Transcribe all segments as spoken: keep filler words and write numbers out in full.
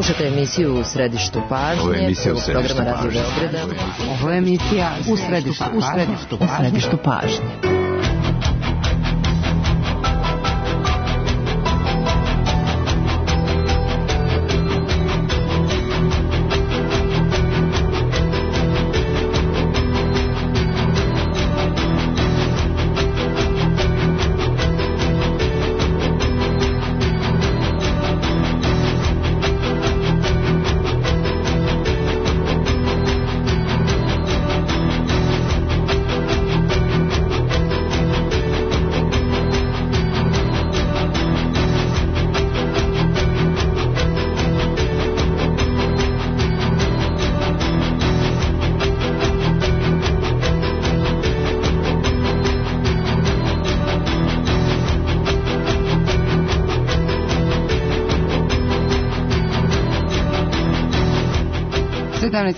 Slušajte emisiju U središtu pažnje. Ovo je emisija U središtu programa Radio pažnje. Beograda. Ovo je emisija U središtu, u središtu, u središtu pažnje.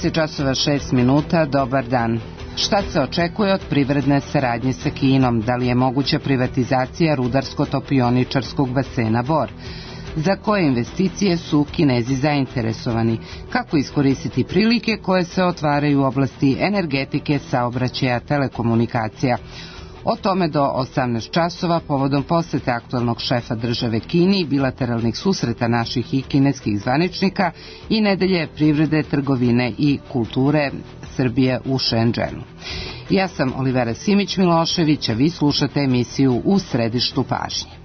sedamnaest časova šest minuta, dobar dan. Šta se očekuje od privredne saradnje sa Kinom? Da li je moguća privatizacija rudarsko-topioničarskog basena Bor? Za koje investicije su Kinezi zainteresovani? Kako iskoristiti prilike koje se otvaraju u oblasti energetike, saobraćaja, telekomunikacija? O tome do osamnaest časova povodom posete aktualnog šefa države Kini i bilateralnih susreta naših i kineskih zvaničnika i nedelje privrede, trgovine i kulture Srbije u Šenđenu. Ja sam Olivera Simić-Milošević, a vi slušate emisiju U središtu pažnje.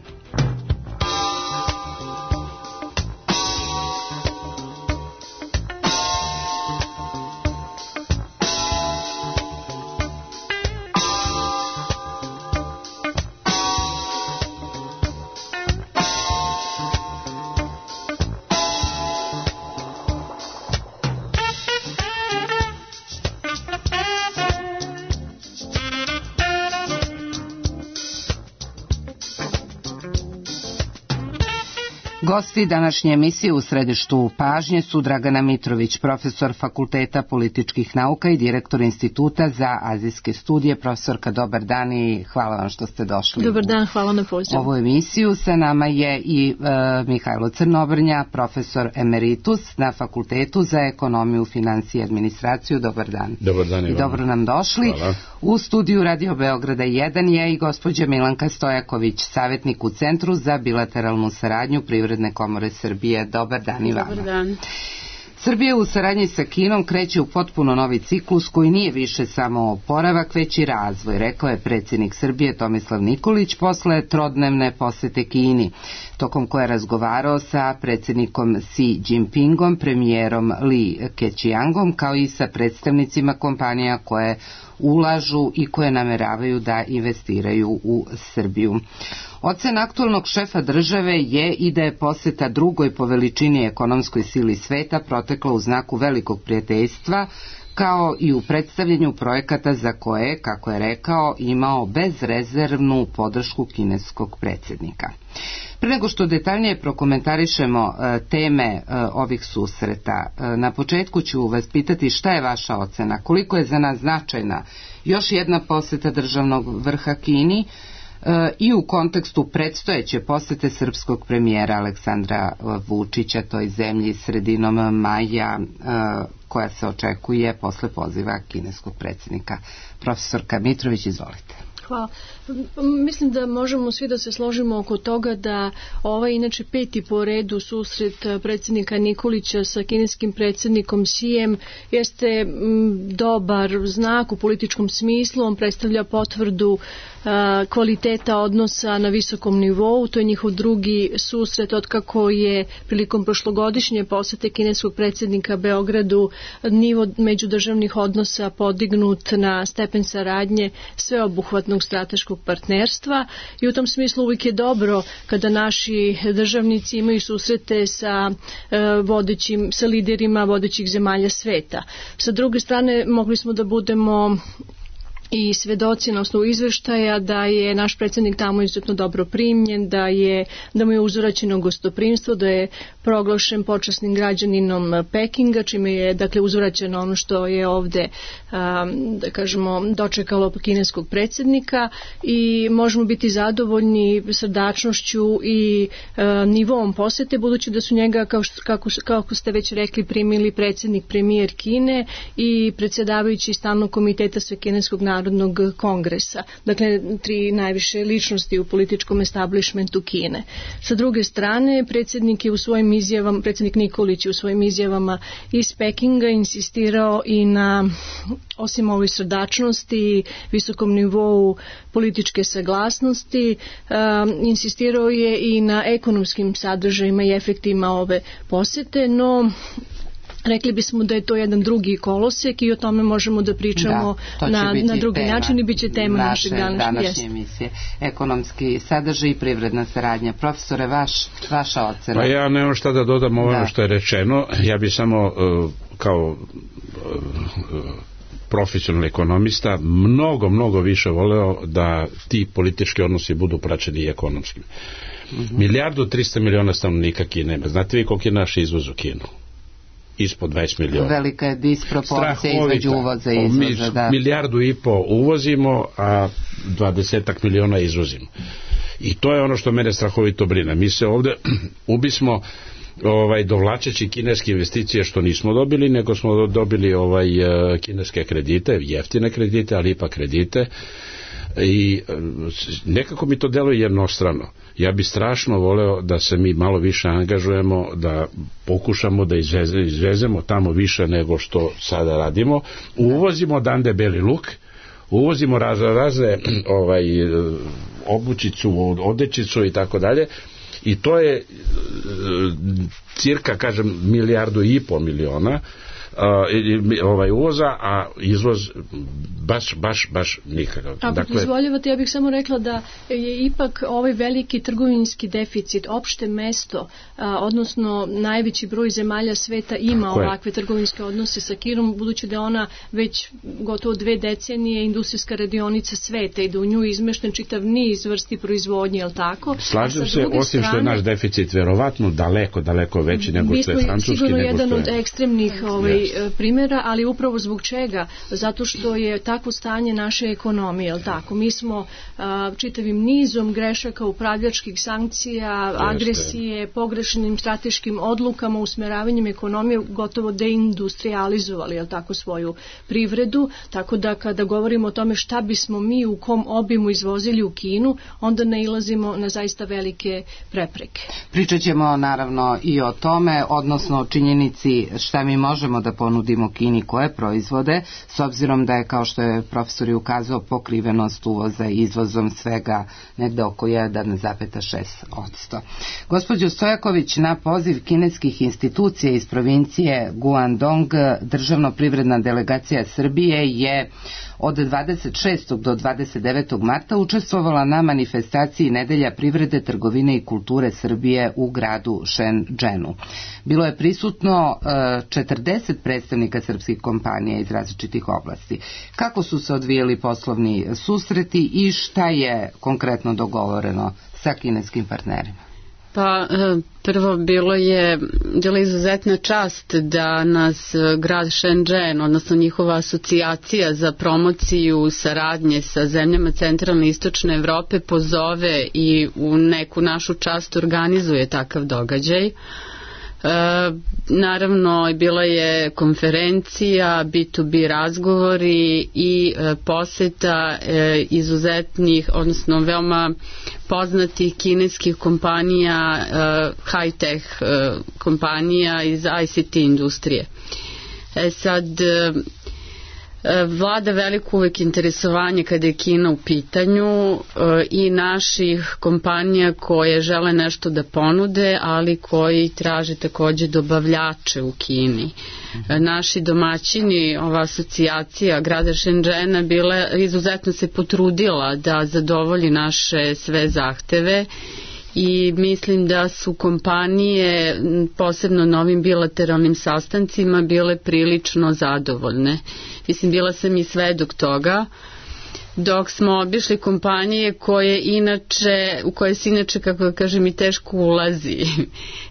Gosti današnje emisije U središtu pažnje su Dragana Mitrović, profesor Fakulteta političkih nauka i direktor Instituta za azijske studije. Profesorka, dobar dan i hvala vam što ste došli. Dobar dan, hvala na pozivu. Ovu emisiju sa nama je i e, Mihajlo Crnobrnja, profesor emeritus na Fakultetu za ekonomiju, financije i administraciju. Dobar dan. Dobar dan i I dobro nam došli. Hvala. U studiju Radio Beograda jedan je i gospođa Milanka Stojaković, savjetnik u Centru za bilateralnu saradnju Privredne komore Srbije. Dobar dan i vama. Dobar dan. Srbija u saradnji sa Kinom kreće u potpuno novi ciklus koji nije više samo oporavak, već i razvoj, rekao je predsjednik Srbije Tomislav Nikolić posle trodnevne posete Kini, tokom koje je razgovarao sa predsjednikom Xi Jinpingom, premijerom Li Keqiangom, kao i sa predstavnicima kompanija koje ulažu i koje nameravaju da investiraju u Srbiju. Ocena aktualnog šefa države je i da je poseta drugoj po veličini ekonomskoj sili sveta protekla u znaku velikog prijateljstva, kao i u predstavljanju projekata za koje, kako je rekao, imao bezrezervnu podršku kineskog predsjednika. Pre nego što detaljnije prokomentarišemo e, teme e, ovih susreta, e, na početku ću vas pitati šta je vaša ocena, koliko je za nas značajna još jedna poseta državnog vrha Kini e, i u kontekstu predstojeće posete srpskog premijera Aleksandra Vučića toj zemlji sredinom maja, e, koja se očekuje posle poziva kineskog predsjednika. Profesorka Mitrović, izvolite. Hvala. Mislim da možemo svi da se složimo oko toga da ovaj inače peti po redu susret predsjednika Nikolića sa kineskim predsjednikom Xijem jeste dobar znak u političkom smislu. On predstavlja potvrdu kvaliteta odnosa na visokom nivou. To je njihov drugi susret otkako je prilikom prošlogodišnje posete kineskog predsjednika Beogradu nivo međudržavnih odnosa podignut na stepen saradnje sveobuhvatnog strateškog partnerstva i u tom smislu uvijek je dobro kada naši državnici imaju susrete sa vodećim, sa liderima vodećih zemalja sveta. Sa druge strane mogli smo da budemo i svedoci na osnovu izveštaja da je naš predsjednik tamo izuzetno dobro primljen, da je da mu je uzvraćeno gostoprimstvo, da je proglašen počasnim građaninom Pekinga, čime je dakle uzvraćeno ono što je ovde um, da kažemo dočekalo kineskog predsjednika i možemo biti zadovoljni srdačnošću i uh, nivom posete, budući da su njega kao što, kako, kako ste već rekli primili predsjednik, premijer Kine i predsjedavajući stalnog komiteta Svekineskog narodnog kongresa, dakle tri najviše ličnosti u političkom establishmentu Kine. Sa druge strane, predsjednik je u svojim izjavama, predsjednik Nikolić je u svojim izjavama iz Pekinga insistirao i na, osim ovoj srdačnosti, visokom nivou političke saglasnosti, um, insistirao je i na ekonomskim sadržajima i efektima ove posete, no rekli bismo da je to jedan drugi kolosek i o tome možemo da pričamo da, na, na drugi način i bit će tema naše našeg današnje jest. emisije. Ekonomski sadržaj i privredna saradnja. Profesore, vaš, vaša ocena? Pa ja nemam šta da dodam ovo da. što je rečeno. Ja bi samo uh, kao uh, profesionalni ekonomista mnogo, mnogo više voleo da ti politički odnosi budu praćeni i ekonomskim. Mm-hmm. Milijardu trista miliona stanovnika Kine ima. Znate vi koliko je naš izvoz u Kinu? Ispod dvadeset miliona. Velika je disproporcija između uvoza i izvoza. Mi, da. Milijardu i po uvozimo, a dvadesetak miliona izvozimo. I to je ono što mene strahovito brine. Mi se ovde ubismo ovaj, dovlačeći kineske investicije što nismo dobili, nego smo dobili ovaj, kineske kredite, jeftine kredite, ali ipak kredite. I nekako mi to deluje jednostrano. Ja bi strašno voleo da se mi malo više angažujemo, da pokušamo da izveze, izvezemo tamo više nego što sada radimo. Uvozimo odande beli luk, uvozimo razne, razne ovaj, obućicu, odećicu i tako dalje. I to je cirka, kažem, milijardu i pol miliona Uh, ovaj uvoza, a izvoz baš, baš, baš nikakav. Ako dakle, dozvoljavate, ja bih samo rekla da je ipak ovaj veliki trgovinski deficit opšte mesto, a, odnosno najveći broj zemalja sveta ima ovakve trgovinske odnose sa Kinom, budući da ona već gotovo dve decenije industrijska radionica sveta i da u nju izmešten čitav niz vrsti proizvodnje, jel tako? Slažem se, osim strane, što je naš deficit verovatno daleko, daleko veći nego što je francuski. Mi smo sigurno jedan je... od ekstremnih ovaj, primjera, ali upravo zbog čega? Zato što je takvo stanje naše ekonomije, jel tako? Mi smo a, čitavim nizom grešaka, upravljačkih sankcija, Jeste. agresije, pogrešnim strateškim odlukama, usmeravanjem ekonomije gotovo deindustrializovali, jel tako, svoju privredu, tako da kada govorimo o tome šta bismo mi u kom obimu izvozili u Kinu, onda nailazimo na zaista velike prepreke. Pričat ćemo naravno i o tome, odnosno o činjenici šta mi možemo da ponudimo Kini, koje proizvode, s obzirom da je, kao što je profesor i ukazao, pokrivenost uvoza i izvozom svega negde oko jedan zarez šest posto. Gospođo Stojaković, na poziv kineskih institucija iz provincije Guangdong, državno-privredna delegacija Srbije je od dvadeset šestog do dvadeset devetog marta učestvovala na manifestaciji Nedelja privrede, trgovine i kulture Srbije u gradu Shenzhenu. Bilo je prisutno četrdeset predstavnika srpskih kompanija iz različitih oblasti. Kako su se odvijali poslovni susreti i šta je konkretno dogovoreno sa kineskim partnerima? Pa prvo bilo je bila izuzetna čast da nas grad Shenzhen, odnosno njihova asocijacija za promociju saradnje sa zemljama centralne i istočne Evrope pozove i u neku našu čast organizuje takav događaj. E, naravno bila je konferencija, B to B razgovori i e, poseta e, izuzetnih, odnosno veoma poznatih kineskih kompanija, e, high-tech e, kompanija iz I C T industrije. E sad, e, vlada veliko uvek interesovanje kada je Kina u pitanju i naših kompanija koje žele nešto da ponude, ali koji traže takođe dobavljače u Kini. Naši domaćini, ova asocijacija grada Shenzhena bila, izuzetno se potrudila da zadovolji naše sve zahteve i mislim da su kompanije, posebno na ovim bilateralnim sastancima, bile prilično zadovoljne. Mislim, bila sam i svedok toga. dok smo obišli kompanije koje inače, u koje se inače, kako da kažem, i teško ulazi,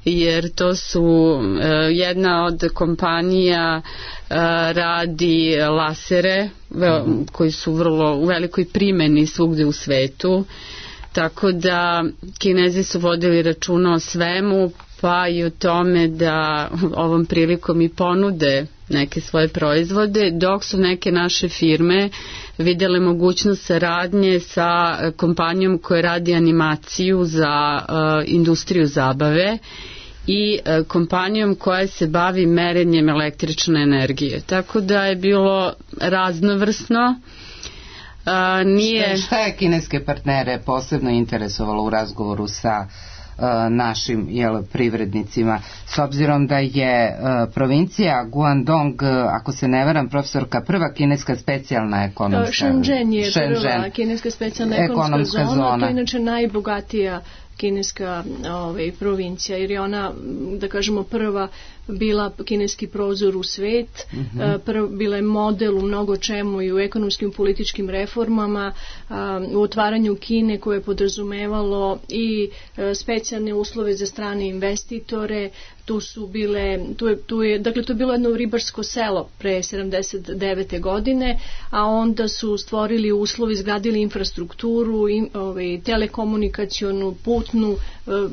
jer to su jedna od kompanija radi lasere koji su vrlo u velikoj primeni svugde u svetu, tako da Kinezi su vodili računa o svemu, pa i o tome da ovom prilikom i ponude neke svoje proizvode, dok su neke naše firme vidjele mogućnost saradnje sa kompanijom koja radi animaciju za uh, industriju zabave i uh, kompanijom koja se bavi merenjem električne energije. Tako da je bilo raznovrsno. Uh, nije... Šta je kineske partnere posebno interesovalo u razgovoru sa našim jel, privrednicima, s obzirom da je uh, provincija Guangdong, ako se ne varam, profesorka, prva kineska specijalna ekonomska Shenzhen je Shenzhen. prva kineska specijalna ekonomska, ekonomska zona, zona, to je inače najbogatija kineska ovaj, provincija, jer je ona, da kažemo, prva bila kineski prozor u svet, mm-hmm. prv, bila je model u mnogo čemu i u ekonomskim političkim reformama, u otvaranju Kine koje je podrazumevalo i specijalne uslove za strane investitore. Tu su bile, tu je, tu je, dakle to je bilo jedno ribarsko selo pre sedamdeset devete godine, a onda su stvorili uslovi, izgradili infrastrukturu, im, ovaj, telekomunikacionu, putnu,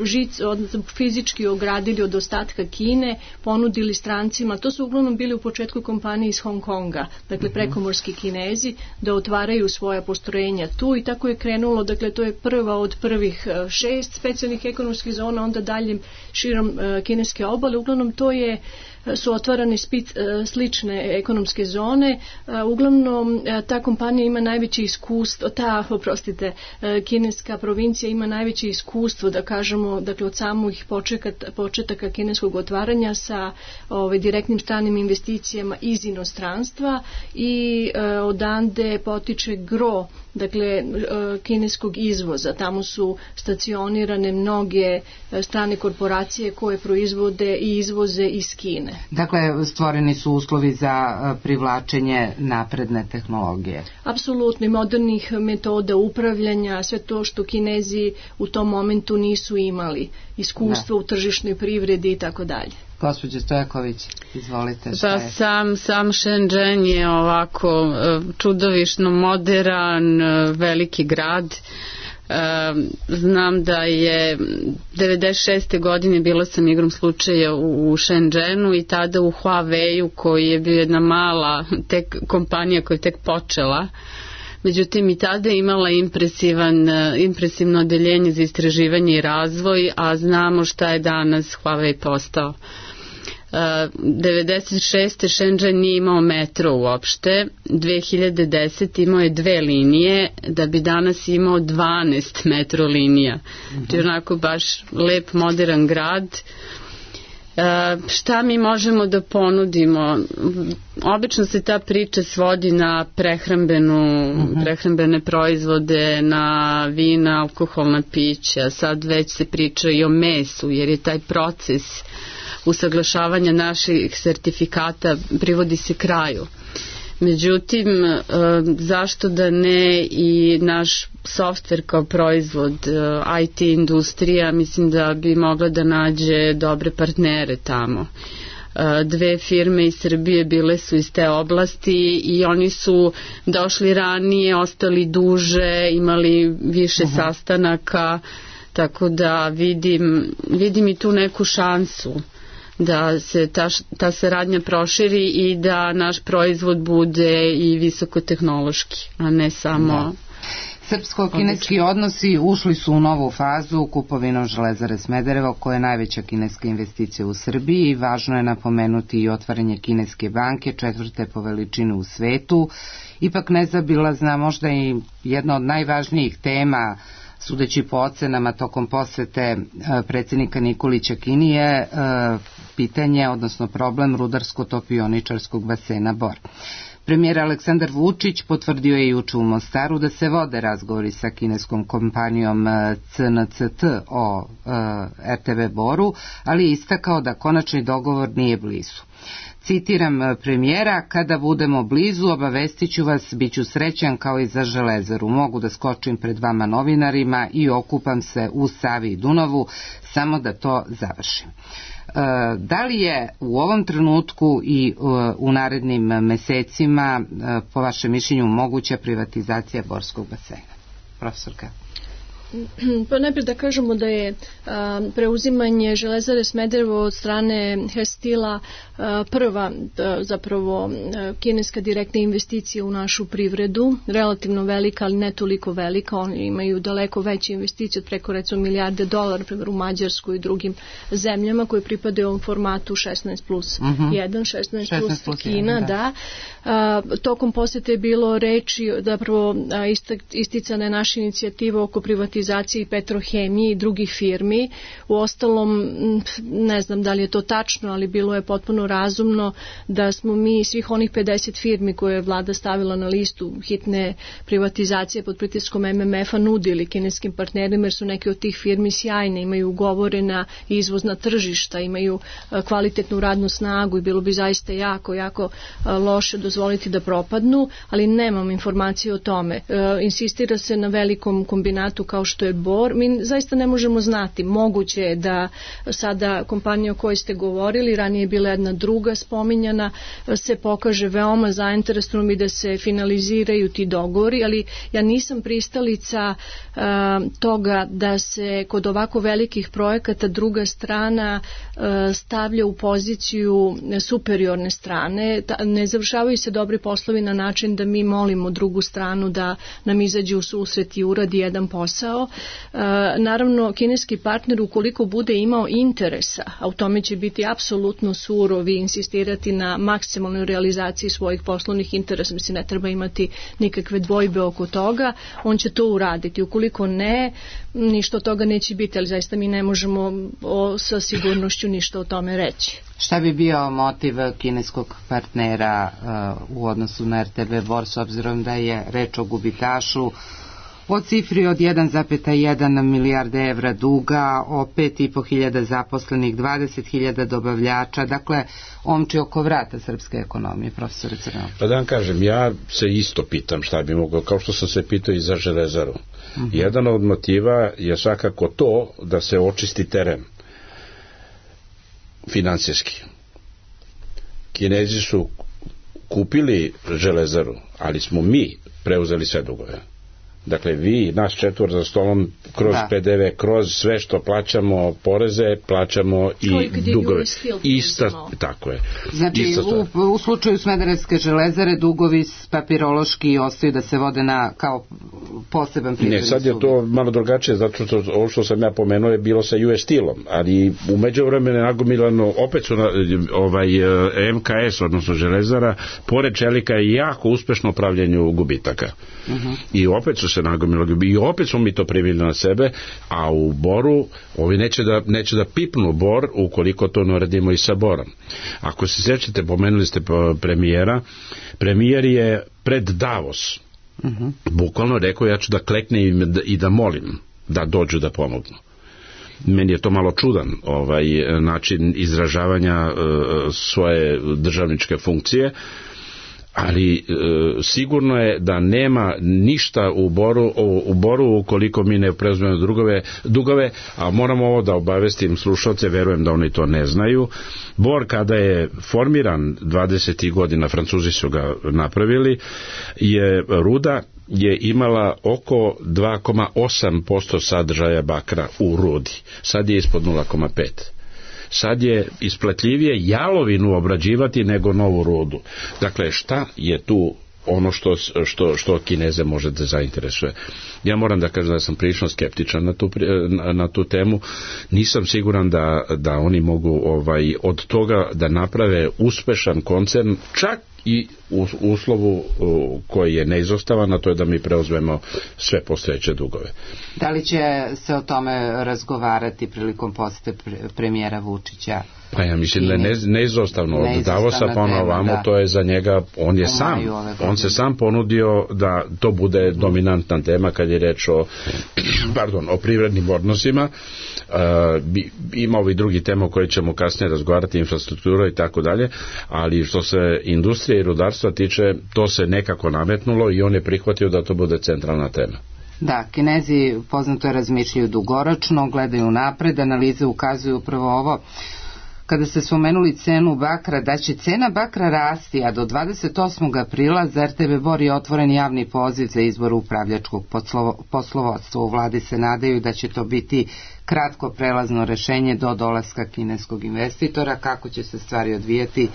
žic, odnosno fizički ogradili od ostatka Kine, ponudili strancima, to su uglavnom bili u početku kompanije iz Hong Konga, dakle prekomorski Kinezi, da otvaraju svoja postrojenja tu i tako je krenulo, dakle to je prva od prvih šest specijalnih ekonomskih zona, onda dalje širom uh, kineske obale, uglavnom to je su otvarane spic, slične ekonomske zone. Uglavnom ta kompanija ima najveće iskustvo, ta, oprostite, kineska provincija ima najveće iskustvo, da kažemo, dakle od samih početaka, početaka kineskog otvaranja sa ove, direktnim stranim investicijama iz inostranstva i e, odande potiče gro, dakle kineskog izvoza. Tamo su stacionirane mnoge strane korporacije koje proizvode i izvoze iz Kine. Dakle, stvoreni su uslovi za privlačenje napredne tehnologije. Apsolutno, i modernih metoda upravljanja, sve to što Kinezi u tom momentu nisu imali, iskustvo da. U tržišnoj privredi i tako dalje. Gospođo Stojaković, izvolite. Šta pa je? sam, sam Shenzhen je ovako čudovišno moderan, veliki grad. Znam da je devedeset šeste godine bila sam igrom slučaja u, u Shenzhenu i tada u Huawei-u, koji je bio jedna mala tek kompanija koja je tek počela. Međutim, i tada je imala impresivan, impresivno odeljenje za istraživanje i razvoj, a znamo šta je danas Huawei postao. devedeset šeste. Shenzhen nije imao metro uopšte, dve hiljade desete. imao je dve linije, da bi danas imao dvanaest metro linija. Mm-hmm. To je onako baš lep, modern grad. E, šta mi možemo da ponudimo? Obično se ta priča svodi na prehrambenu, mm-hmm. prehrambene proizvode, na vina, alkoholna pića. Sad već se priča i o mesu, jer je taj proces usaglašavanja naših sertifikata privodi se kraju. Međutim, zašto da ne i naš softver kao proizvod, I T industrija, mislim da bi mogla da nađe dobre partnere tamo. Dve firme iz Srbije bile su iz te oblasti i oni su došli ranije, ostali duže, imali više uh-huh. sastanaka, tako da vidim, vidim i tu neku šansu da se ta, ta saradnja proširi i da naš proizvod bude i visokotehnološki, a ne samo... Da. Srpsko-kineski odnosi ušli su u novu fazu kupovinom Železare Smederevo, koja je najveća kineska investicija u Srbiji, i važno je napomenuti i otvaranje kineske banke, četvrte po veličini u svetu. Ipak nezabilazna, možda i jedna od najvažnijih tema, sudeći po ocenama tokom posete predsjednika Nikolića Kini, je pitanje, odnosno problem rudarsko-topioničarskog basena Bor. Premijer Aleksandar Vučić potvrdio je juče u Mostaru da se vode razgovori sa kineskom kompanijom C N C T o R T B Boru, ali je istakao da konačni dogovor nije blizu. Citiram premijera: kada budemo blizu, obavestit ću vas, bit ću srećan kao i za Železaru. Mogu da skočim pred vama novinarima i okupam se u Savi i Dunavu, samo da to završim. Da li je u ovom trenutku i u narednim mesecima, po vašem mišljenju, moguća privatizacija Borskog basena? Profesorka. Pa najprije da kažemo da je a, preuzimanje Železare Smederevo od strane Hestila a, prva a, zapravo a, kineska direktna investicija u našu privredu, relativno velika, ali ne toliko velika. Oni imaju daleko veće investicije od preko recimo milijarde dolara, primjer u Mađarsku i drugim zemljama koje pripadaju ovom formatu šesnaest plus jedan, šesnaest plus Kina, da. da. A, tokom posete je bilo reči, zapravo a, isticana je naša inicijativa oko privatizacije i Petrohemije i drugih firmi. U ostalom, ne znam da li je to tačno, ali bilo je potpuno razumno da smo mi svih onih pedeset firmi koje je vlada stavila na listu hitne privatizacije pod pritiskom em em ef-a nudili kineskim partnerima, jer su neke od tih firmi sjajne, imaju ugovorena izvozna tržišta, imaju kvalitetnu radnu snagu i bilo bi zaista jako, jako loše dozvoliti da propadnu, ali nemam informacije o tome. Insistira se na velikom kombinatu kao što je Bor. Mi zaista ne možemo znati. Moguće je da sada kompanija o kojoj ste govorili, ranije je bila jedna druga spominjana, se pokaže veoma zainteresovanom i da se finaliziraju ti dogovori, ali ja nisam pristalica uh, toga da se kod ovako velikih projekata druga strana uh, stavlja u poziciju superiorne strane. Ta, ne završavaju se dobri poslovi na način da mi molimo drugu stranu da nam izađe u susret i uradi jedan posao. Uh, naravno, kineski partner ukoliko bude imao interesa, a u tome će biti apsolutno surovi i insistirati na maksimalnoj realizaciji svojih poslovnih interesa, mislim ne treba imati nikakve dvojbe oko toga, on će to uraditi. Ukoliko ne, ništa od toga neće biti, ali zaista mi ne možemo o, sa sigurnošću ništa o tome reći. Šta bi bio motiv kineskog partnera uh, u odnosu na er te be Bor, s obzirom da je reč o gubitašu, o cifri od jedan zarez jedan milijarde evra duga, o pet i po hiljada zaposlenih, dvadeset hiljada dobavljača, dakle omči oko vrata srpske ekonomije, profesore Crnov? Pa da vam kažem, ja se isto pitam šta bi moglo, kao što sam se pitao i za Železaru. Uh-huh. Jedan od motiva je svakako to da se očisti teren finansijski. Kinezi su kupili Železaru, ali smo mi preuzeli sve dugove. Dakle, vi, naš četvor za stolom, kroz da. pe de ve, kroz sve što plaćamo, poreze, plaćamo i dugove. Ista, tako je. Znači, u, u slučaju Smederevske železare, dugovi papirološki ostaju da se vode na kao poseban privredni subjekt. Ne, sad je to malo drugačije, zato što ovo što sam ja pomenuo je bilo sa ju es Steel-om, ali u međuvremenu nagomilano, opet su na, ovaj, em ka es, odnosno železara, pored čelika je jako uspešno upravljanju gubitaka. Uh-huh. I opet su se nagomilo i opet smo mi to primili na sebe, a u Boru ovi neće da, neće da pipnu Bor ukoliko to ne radimo i sa Borom. Ako se sjećate, pomenuli ste premijera, premijer je pred Davos uh-huh. bukvalno rekao ja ću da kleknem i da, i da molim da dođu da pomognu. Meni je to malo čudan ovaj način izražavanja uh, svoje državničke funkcije, ali e, sigurno je da nema ništa u Boru, u, u Boru ukoliko mi ne preuzmemo drugove, dugove, a moramo ovo da obavestim slušalce, verujem da oni to ne znaju. Bor kada je formiran dvadesetih godina, Francuzi su ga napravili, je ruda je imala oko dva zarez osam posto sadržaja bakra u rudi. Sad je ispod nula zarez pet. Sad je isplatljivije jalovinu obrađivati nego novu rudu. Dakle, šta je tu ono što, što, što Kineze može da zainteresuje? Ja moram da kažem da sam prilično skeptičan na tu, na, na tu temu. Nisam siguran da, da oni mogu ovaj, od toga da naprave uspešan koncern, čak i u uslovu koji je neizostavan, a to je da mi preuzmemo sve postojeće dugove. Da li će se o tome razgovarati prilikom posete premijera Vučića Pa ja mislim da je ne, neizostavno od Davosa pa ono ovamo, da. To je za njega, on je sam, on se sam ponudio da to bude dominantna tema kad je reč o, pardon, o privrednim odnosima. Uh, ima ovi drugi tema o kojoj ćemo kasnije razgovarati, infrastruktura i tako dalje, ali što se industrije i rudarstva tiče, to se nekako nametnulo i on je prihvatio da to bude centralna tema. Da, Kinezi poznato je razmišljaju dugoročno, gledaju napred, analize ukazuju upravo ovo. Kada ste spomenuli cenu bakra, da će cena bakra rasti, a do dvadeset osmog aprila za er te be Bor je otvoren javni poziv za izbor upravljačkog poslovodstva. U vladi se nadaju da će to biti kratko prelazno rešenje do dolaska kineskog investitora. Kako će se stvari odvijati,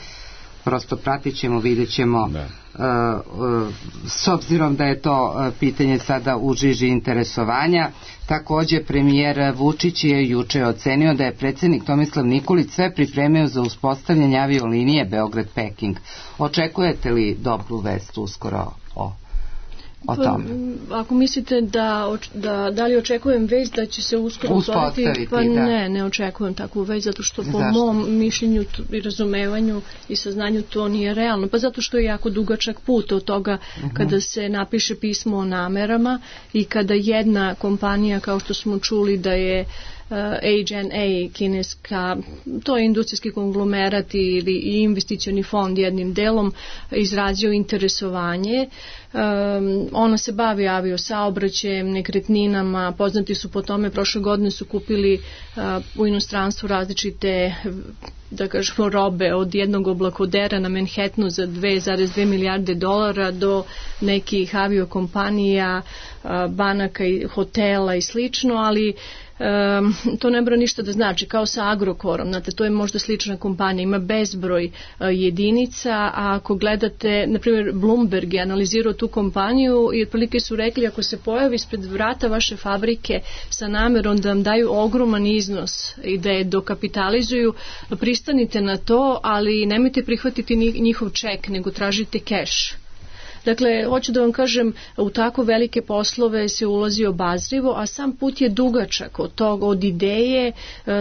prosto pratit ćemo, vidjet ćemo, uh, uh, s obzirom da je to uh, pitanje sada u žiži interesovanja. Također premijer Vučić je juče ocenio da je predsjednik Tomislav Nikolić sve pripremio za uspostavljanje aviolinije Beograd-Peking. Očekujete li dobru vest uskoro o o tome? Pa, ako mislite da, da, da li očekujem vest da će se uskoro uspostaviti, pa da. ne, ne očekujem takvu vest, zato što po Zašto? mom mišljenju i razumevanju i saznanju to nije realno. Pa zato što je jako dugačak put od toga uh-huh. kada se napiše pismo o namerama i kada jedna kompanija, kao što smo čuli da je H N A kineska, to je industrijski konglomerat ili investicioni fond jednim delom izrazio interesovanje. Um, ona se bavi aviosaobraćajem, nekretninama, poznati su po tome, prošle godine su kupili uh, u inostranstvu različite, da kažemo, robe od jednog oblakodera na Manhattanu za dve zarez dve milijarde dolara do nekih aviokompanija, uh, banaka i hotela i slično, ali Um, to ne mora ništa da znači, kao sa Agrokorom, znate, to je možda slična kompanija, ima bezbroj uh, jedinica, a ako gledate, na primjer Bloomberg je analizirao tu kompaniju i otprilike su rekli, ako se pojavi ispred vrata vaše fabrike sa namerom da vam daju ogroman iznos i da je dokapitalizuju, pristanite na to, ali nemojte prihvatiti njihov ček, nego tražite keš. Dakle, hoću da vam kažem, u tako velike poslove se ulazi obazrivo, a sam put je dugačak od toga, od ideje.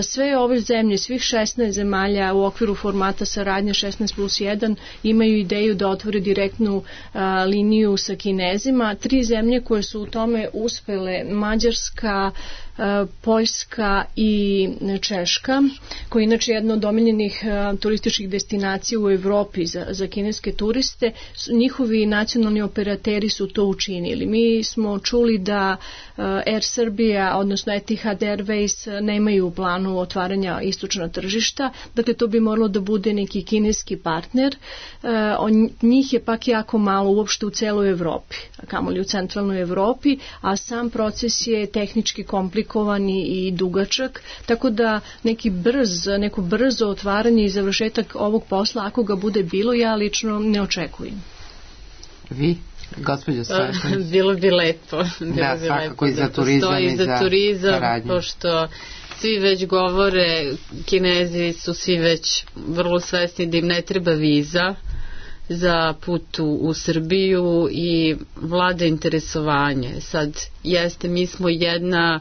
Sve ove zemlje, svih šesnaest zemalja u okviru formata saradnje šesnaest plus jedan imaju ideju da otvore direktnu a, liniju sa Kinezima. Tri zemlje koje su u tome uspele, Mađarska, Poljska i Češka, koja je inače jedna od omiljenih turističkih destinacija u Evropi za, za kineske turiste, njihovi nacionalni operateri su to učinili. Mi smo čuli da Air Srbija, odnosno Etihad Airways, nemaju u planu otvaranja istočna tržišta, dakle to bi moralo da bude neki kineski partner. On, njih je pak jako malo uopšte u celoj Evropi, kamoli u centralnoj Evropi, a sam proces je tehnički komplikovan i dugačak, tako da neki brz, neko brzo otvaranje i završetak ovog posla, ako ga bude bilo, ja lično ne očekujem. Vi, gospođo Stojković? Bilo bi lepo. Bilo da, bi svakako lepo i za turizam i za, za turizam, saradnju. Pošto svi već govore, Kinezi su svi već vrlo svesni da im ne treba viza za put u, u Srbiju i vlada interesovanje. Sad, jeste, mi smo jedna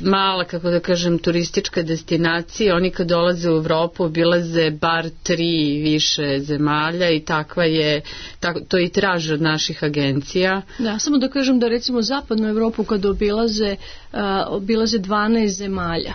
mala, kako da kažem, turistička destinacija. Oni kad dolaze u Evropu obilaze bar tri više zemalja i takva je, tak, to i traže od naših agencija. Da, samo da kažem da recimo zapadnu Evropu kad obilaze, uh, obilaze dvanaest zemalja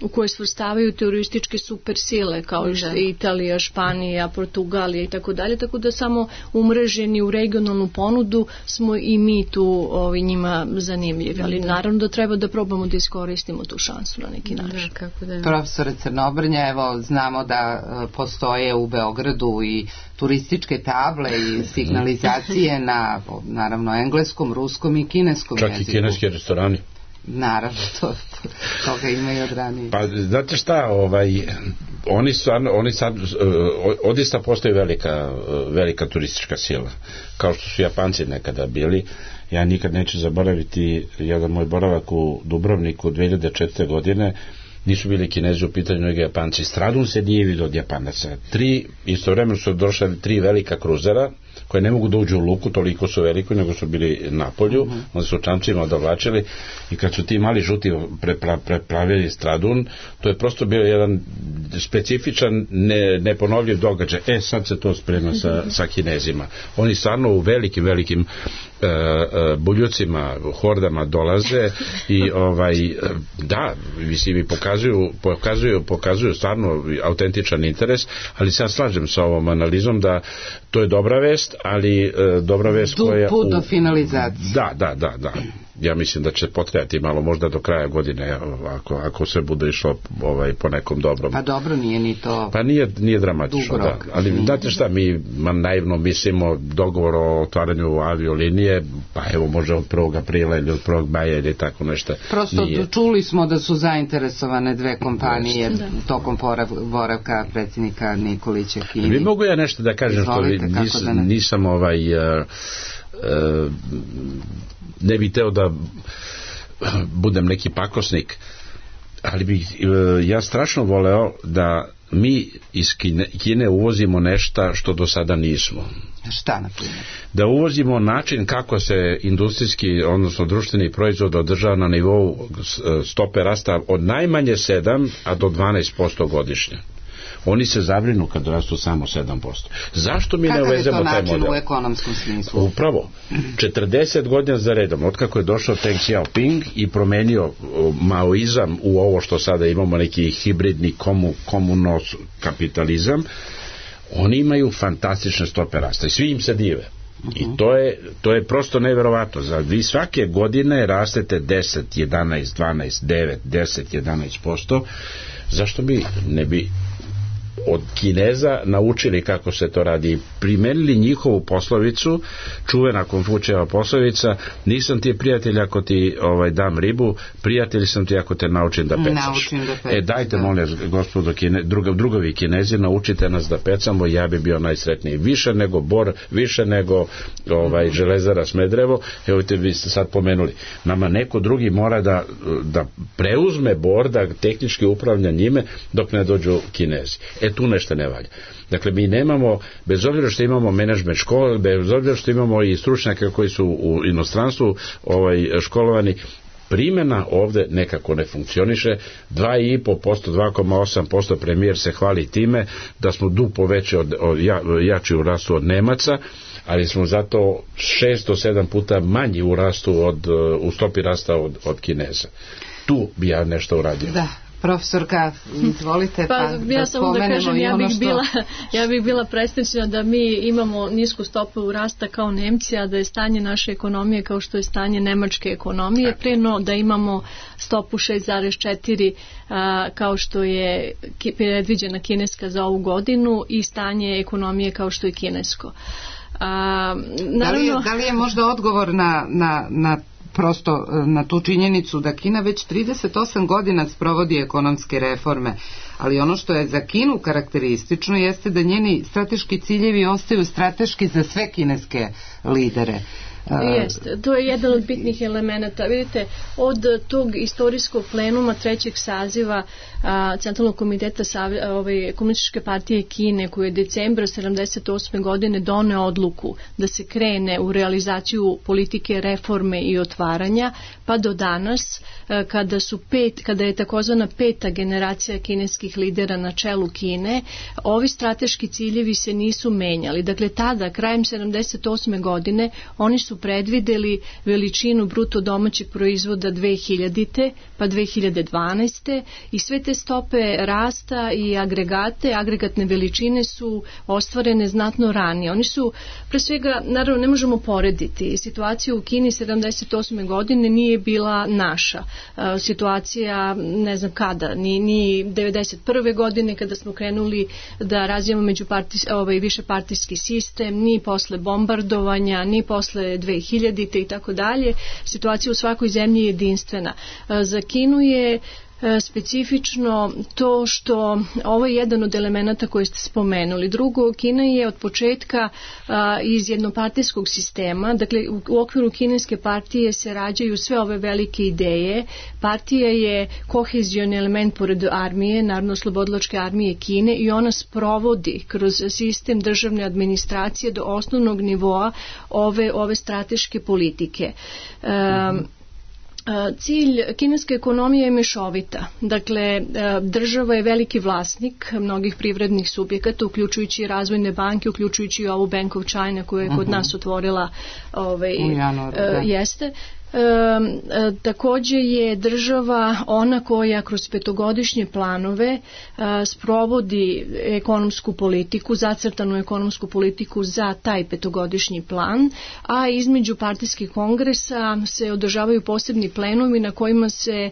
u koje svrstavaju turističke supersile kao da. Italija, Španija, Portugalija i tako dalje, tako da samo umreženi u regionalnu ponudu smo i mi tu ovi, njima zanimljivi, ali da. Naravno da treba da probamo da iskoristimo tu šansu na neki način. Da, kako da. Profesore Crnobrnja, evo znamo da postoje u Beogradu i turističke table i signalizacije na naravno engleskom, ruskom i kineskom čak jeziku. Čak i kineski restorani. Naravno, to, to, toga ima i od ranije. Pa, znate šta, ovaj, oni, stvarno, oni sad, odista postoji velika, velika turistička sila, kao što su Japanci nekada bili. Ja nikad neću zaboraviti jedan moj boravak u Dubrovniku dve hiljade četvrte godine, nisu bili Kinezi u pitanju, nego Japanci. Stradun se nije vidio od Japanaca. Tri, istovremeno su došli tri velika kruzera, koje ne mogu da uđu u luku, toliko su veliko, nego su bili na polju, mm-hmm. onda su čamcima dovlačili i kad su ti mali žuti prepra, prepravili Stradun, to je prosto bio jedan specifičan, ne, neponovljiv događaj. E, sad se to sprema sa, sa Kinezima. Oni stvarno u velikim, velikim uh, uh, buljucima, hordama dolaze i ovaj, da, mislim, i pokazuju, pokazuju, pokazuju stvarno autentičan interes, ali se ja slažem sa ovom analizom da to je dobra vest, ali uh, dobra vest tu koja... put do finalizacije. Da, da, da, da. Ja mislim da će potrajati malo, možda do kraja godine, ako, ako se bude išlo ovaj, po nekom dobrom. Pa dobro, nije ni to... Pa nije, nije dramatično, da. Ali znate šta, mi naivno mislimo dogovor o otvaranju aviolinije, pa evo može od prvog aprila ili od prvog maja ili tako nešto. Prosto nije. Čuli smo da su zainteresovane dve kompanije da. tokom boravka predsjednika Nikolića Kini. Vi mogu ja nešto da kažem, Izvolite, što nis, da ne. nisam ovaj... Uh, uh, ne bih teo da budem neki pakosnik, ali bih ja strašno voleo da mi iz Kine, Kine uvozimo nešto što do sada nismo. Šta, na primjer? Da uvozimo način kako se industrijski, odnosno društveni proizvod održava na nivou stope rasta od najmanje sedam, a do dvanaest posto godišnje. Oni se zabrinu kad rastu samo sedam posto. Zašto mi ne uvezemo taj model? Kakav je to način u ekonomskom smislu? Upravo. četrdeset godina za redom, otkako je došao Deng Xiaoping i promenio maoizam u ovo što sada imamo, neki hibridni komu, komunos kapitalizam, oni imaju fantastične stope rasta i svi im se dive. I to je, to je prosto neverovatno. Za vi svake godine rastete deset, jedanaest, dvanaest, devet, deset, jedanaest posto. Zašto bi ne bi od Kineza naučili kako se to radi, primenili njihovu poslovicu, čuvena Konfučijeva poslovica, nisam ti prijatelj ako ti ovaj, dam ribu, prijatelj sam ti ako te naučim da pecaš. Da pecaš e dajte, da. molim, gospodo Kine, druga, drugovi Kinezi, naučite nas da pecamo, ja bi bio najsretniji. Više nego Bor, više nego ovaj, Železara Smederevo, evo te vi ste sad pomenuli. Nama neko drugi mora da, da preuzme Bor, da tehnički upravlja njime dok ne dođu Kinezi. E tu nešto ne valja. Dakle, mi nemamo, bez obzira što imamo menadžment škole, bez obzira što imamo i stručnjake koji su u inostranstvu ovaj, školovani, primjena ovde nekako ne funkcioniše. dva i po posto, dva zarez osam posto premijer se hvali time da smo duplo veći od, od, ja, jači u rastu od Nemaca, ali smo zato šest do sedam puta manji u rastu od, u stopi rasta od, od Kineza. Tu bi ja nešto uradio. Da. Profesorka, izvolite, pa, pa ja da samo da kažem, ja bih, što... bila, ja bih bila presrećna da mi imamo nisku stopu rasta kao Nemci, a da je stanje naše ekonomije kao što je stanje nemačke ekonomije, preno da imamo stopu šest zarez četiri a, kao što je predviđena kineska za ovu godinu i stanje ekonomije kao što je kinesko. A, naravno... da, li je, da li je možda odgovor na, na, na prosto na tu činjenicu da Kina već trideset osam godina sprovodi ekonomske reforme, ali ono što je za Kinu karakteristično jeste da njeni strateški ciljevi ostaju strateški za sve kineske lidere. Jeste, to je jedan od bitnih elemenata. Vidite, od tog istorijskog plenuma trećeg saziva a, Centralnog komiteta Savi, ove, Komunističke partije Kine, koji je decembra sedamdeset osme godine doneo odluku da se krene u realizaciju politike reforme i otvaranja, pa do danas a, kada su pet, kada je takozvana peta generacija kineskih lidera na čelu Kine, ovi strateški ciljevi se nisu menjali. Dakle, tada, krajem sedamdeset osme godine, oni su predvideli veličinu bruto domaćeg proizvoda dve hiljadite pa dve hiljade dvanaeste i sve te stope rasta i agregate, agregatne veličine su ostvarene znatno ranije. Oni su, pre svega, naravno ne možemo porediti. Situacija u Kini sedamdeset osme godine nije bila naša. Situacija, ne znam kada, ni, ni devedeset prve godine kada smo krenuli da razvijamo međupartijski, ovaj, višepartijski sistem, ni posle bombardovanja, ni posle dve hiljadite i tako dalje. Situacija u svakoj zemlji je jedinstvena. Za Kinu je specifično to što ovo je jedan od elemenata koje ste spomenuli. Drugo, Kina je od početka a, iz jednopartijskog sistema, dakle u, u okviru kineske partije se rađaju sve ove velike ideje. Partija je kohezioni element pored armije, Narodno-oslobodilačke armije Kine, i ona sprovodi kroz sistem državne administracije do osnovnog nivoa ove, ove strateške politike. Um, Cilj kineske ekonomije je mešovita. Dakle, država je veliki vlasnik mnogih privrednih subjekata, uključujući razvojne banke, uključujući i ovu Bank of China koju je kod nas otvorila ovaj, jeste. E, e, takođe je država ona koja kroz petogodišnje planove e, sprovodi ekonomsku politiku, zacrtanu ekonomsku politiku za taj petogodišnji plan, a između partijskih kongresa se održavaju posebni plenumi na kojima se e,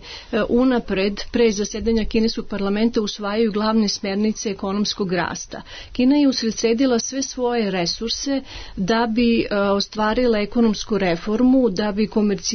unapred, pre zasedanja kineskog parlamenta, usvajaju glavne smernice ekonomskog rasta. Kina je usredsredila sve svoje resurse da bi e, ostvarila ekonomsku reformu, da bi komercijalizovala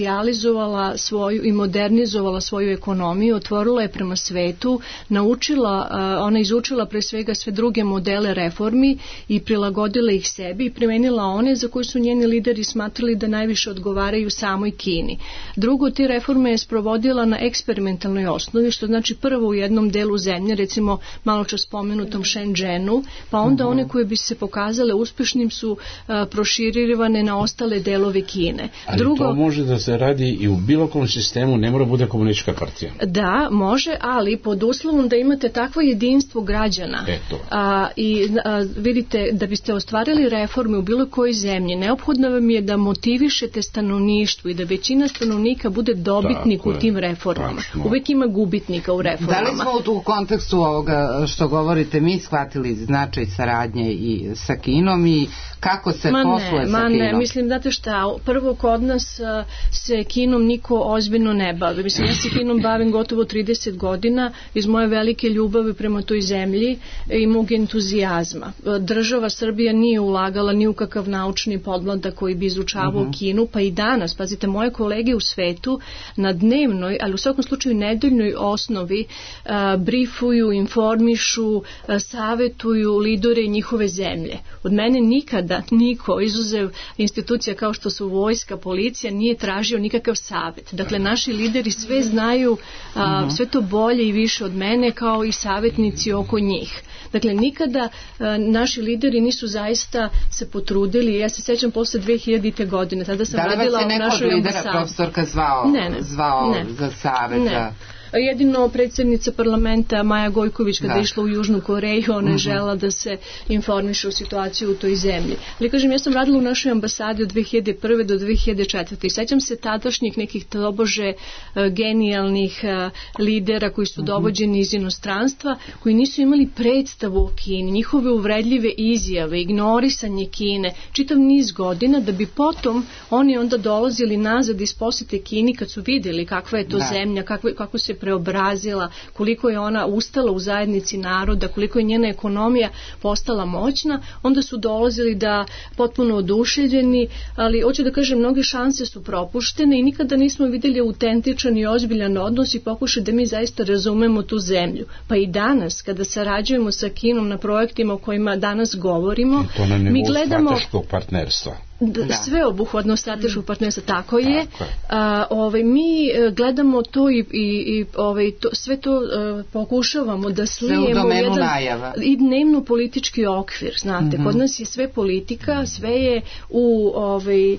svoju i modernizovala svoju ekonomiju, otvorila je prema svetu, naučila, ona izučila pre svega sve druge modele reformi i prilagodila ih sebi i primenila one za koje su njeni lideri smatrali da najviše odgovaraju samoj Kini. Drugo, te reforme je sprovodila na eksperimentalnoj osnovi, što znači prvo u jednom delu zemlje, recimo malo čas spomenutom Shenzhenu, pa onda uh-huh. one koje bi se pokazale uspešnim su uh, proširivane na ostale delove Kine. Ali Drugo, to može da se radi i u bilo kom sistemu, ne mora bude komunistička partija. Da, može, ali pod uslovom da imate takvo jedinstvo građana. Eto. A, I a, vidite, da biste ostvarili reforme u bilo kojoj zemlji, neophodno vam je da motivišete stanovništvo i da većina stanovnika bude dobitnik tako u tim reformama. Tačno. Uvek ima gubitnika u reformama. Da li smo u kontekstu ovoga što govorite mi shvatili značaj saradnje i sa Kinom i kako se ma posluje ne, sa ma Kinom? Ne, mislim, znate šta, prvo kod nas a, se Kinom niko ozbiljno ne bavi. Mislim, ja se Kinom bavim gotovo trideset godina iz moje velike ljubavi prema toj zemlji i mog entuzijazma. Država Srbija nije ulagala ni u kakav naučni podmladak koji bi izučavao uh-huh. Kinu, pa i danas, pazite, moje kolege u svetu na dnevnoj, ali u svakom slučaju nedeljnoj osnovi a, brifuju, informišu, a, savetuju lidere njihove zemlje. Od mene nikada niko, izuzev institucija kao što su vojska, policija, nije tražio nikakav savet. Dakle, naši lideri sve znaju, a, sve to bolje i više od mene, kao i savetnici oko njih. Dakle, nikada a, naši lideri nisu zaista se potrudili. Ja se sećam posle dve hiljadite. godine, tada sam radila u našoj ambasadi. Da li vas je neko od lidera profesorka zvao, ne, ne, zvao ne, za savet? Ne. Za... Jedino predsjednica parlamenta Maja Gojković kada je išla u Južnu Koreju, ona je uh-huh. žela da se informiše o situaciji u toj zemlji. Ali kažem, ja sam radila u našoj ambasadi od dve hiljade prve. do dve hiljade četvrte. I sećam se tadašnjih nekih tobože uh, genijalnih uh, lidera koji su uh-huh. dovođeni iz inostranstva, koji nisu imali predstavu o Kini, njihove uvredljive izjave, ignorisanje Kine, čitav niz godina, da bi potom oni onda dolazili nazad iz posete Kini kad su vidjeli kakva je to da. zemlja, kakva, kako se preobrazila, koliko je ona ustala u zajednici naroda, koliko je njena ekonomija postala moćna, onda su dolazili da potpuno oduševljeni, ali hoću da kažem, mnoge šanse su propuštene i nikada nismo vidjeli autentičan i ozbiljan odnos i pokušaj da mi zaista razumemo tu zemlju. Pa i danas, kada sarađujemo sa Kinom na projektima o kojima danas govorimo, mi gledamo strateškog partnerstva. Da. Sve obuhvatno strateškog partnerstva, tako je. Tako je. A, ovaj, mi gledamo to i, i, i ovaj, to, sve to uh, pokušavamo da slijemo u jedan najava. I dnevno politički okvir, znate, mm-hmm. kod nas je sve politika, sve je u, ovaj, uh,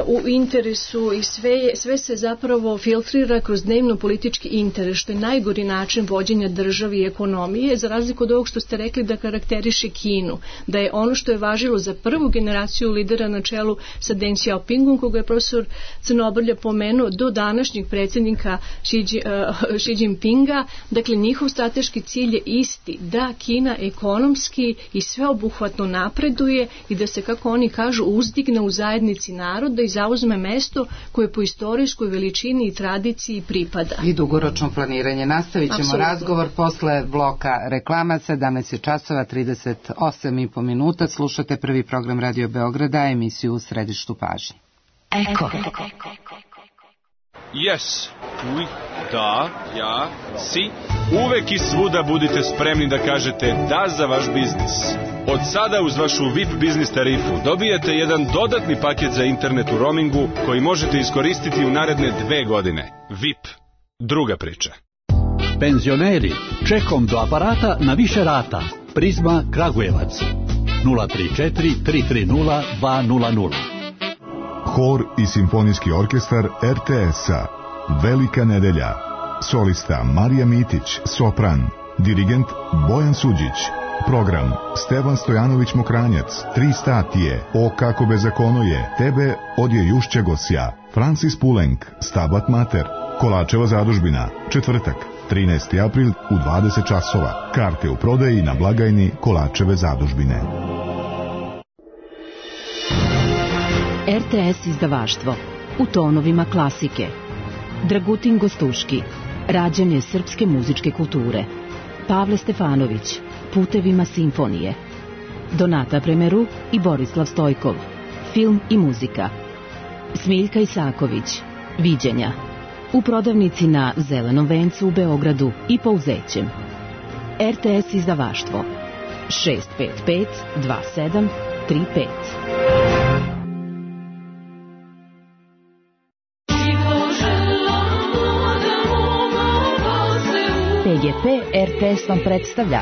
u interesu i sve, je, sve se zapravo filtrira kroz dnevno politički interes, što je najgori način vođenja države i ekonomije, za razliku od ovog što ste rekli da karakteriše Kinu, da je ono što je važilo za prvu generaciju lidera na čelu sa Deng Xiaopingom, koga je profesor Crnobrlja pomenuo, do današnjeg predsjednika Xi, uh, Xi Jinpinga. Dakle, njihov strateški cilj je isti, da Kina ekonomski i sveobuhvatno napreduje i da se, kako oni kažu, uzdigne u zajednici naroda i zauzme mesto koje po istorijskoj veličini i tradiciji pripada. I dugoročno planiranje. Nastavit ćemo Absolutno. razgovor posle bloka reklama. sedamnaest časova trideset osam i po minuta. Slušate prvi program Radio Beograda, emisiju U središtu pažnje. Eko. Yes. Oui. Da. Ja. Si. Uvek i svuda budite spremni da kažete da za vaš biznis. Od sada uz vašu V I P biznis tarifu dobijete jedan dodatni paket za internet u roamingu koji možete iskoristiti u naredne dve godine. V I P. Druga priča. Penzioneri, čekom do aparata na više rata. Prizma Kragujevac. nula tri četiri tri tri nula dva nula nula. Hor i simfonijski orkestar R T S-a. Velika nedelja. Solista Marija Mitić, sopran. Dirigent Bojan Suđić. Program Stevan Stojanović Mokranjac, Tri statije, O kako bezakono je, Tebe odje Jušće Gosja, Francis Pulenk, Stabat Mater, Kolačeva zadužbina, četvrtak, trinaesti april u dvadeset časova. Karte u prodaji na blagajni Kolačeve zadužbine. R T S izdavaštvo u tonovima klasike. Dragutin Gostuški, rađanje srpske muzičke kulture. Pavle Stefanović, Putevima simfonije. Donata Premeru i Borislav Stojkov, film i muzika. Smiljka Isaković, Viđenja. U prodavnici na Zelenom vencu u Beogradu i Pouzećem. R T S izdavaštvo šest pet pet dva sedam tri pet. P G P R T S vam predstavlja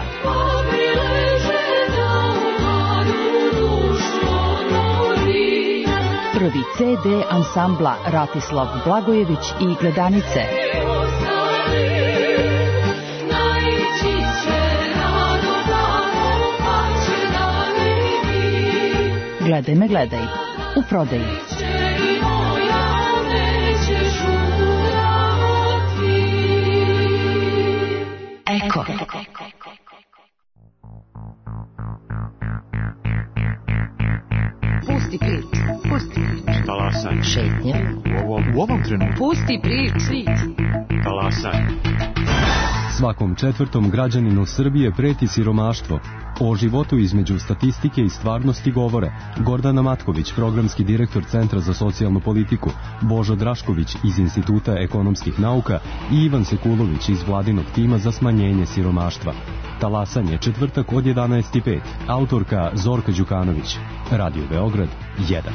prvi C D ansambla Ratislav Blagojević i Gledanice. Gledaj me, gledaj, u prodaji. Eko. Pusti prič, pusti prič. Talasaj. Šetnja. U ovom, u ovom trenutku. Pusti prič, prič. Talasaj. Svakom četvrtom građaninu Srbije preti siromaštvo. O životu između statistike i stvarnosti govore Gordana Matković, programski direktor Centra za socijalnu politiku, Božo Drašković iz Instituta ekonomskih nauka i Ivan Sekulović iz vladinog tima za smanjenje siromaštva. Talasanje, četvrtak od jedanaest i pet. Autorka Zorka Đukanović. Radio Beograd jedan.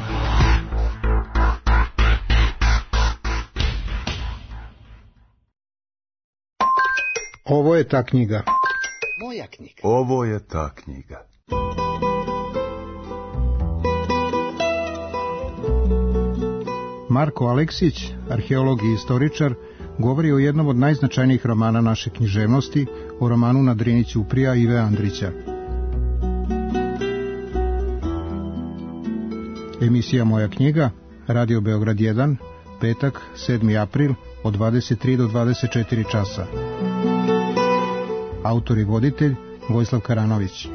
Ovo je ta knjiga. Moja knjiga. Ovo je ta knjiga. Marko Aleksić, arheolog i istoričar, govori o jednom od najznačajnijih romana naše književnosti, o romanu Na Drini ćuprija Ive Andrića. Emisija Moja knjiga, Radio Beograd jedan, petak, sedmi april, od dvadeset tri do dvadeset četiri časa. Autor i voditelj Vojislav Karanović.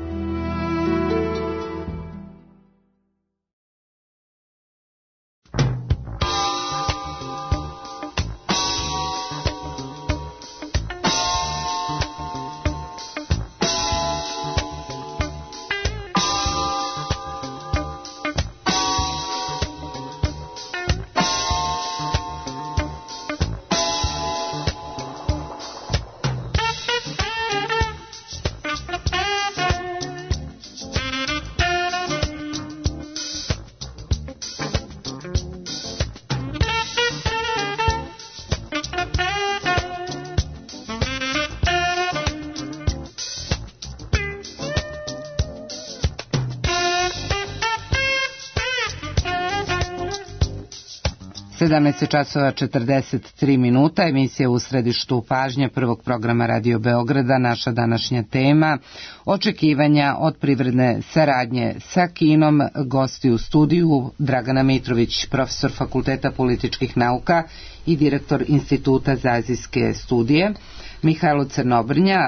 sedamnaest časova četrdeset tri minuta, emisija U središtu pažnje prvog programa Radio Beograda. Naša današnja tema, očekivanja od privredne saradnje sa Kinom. Gosti u studiju Dragana Mitrović, profesor Fakulteta političkih nauka i direktor Instituta za azijske studije, Mihajlo Crnobrnja,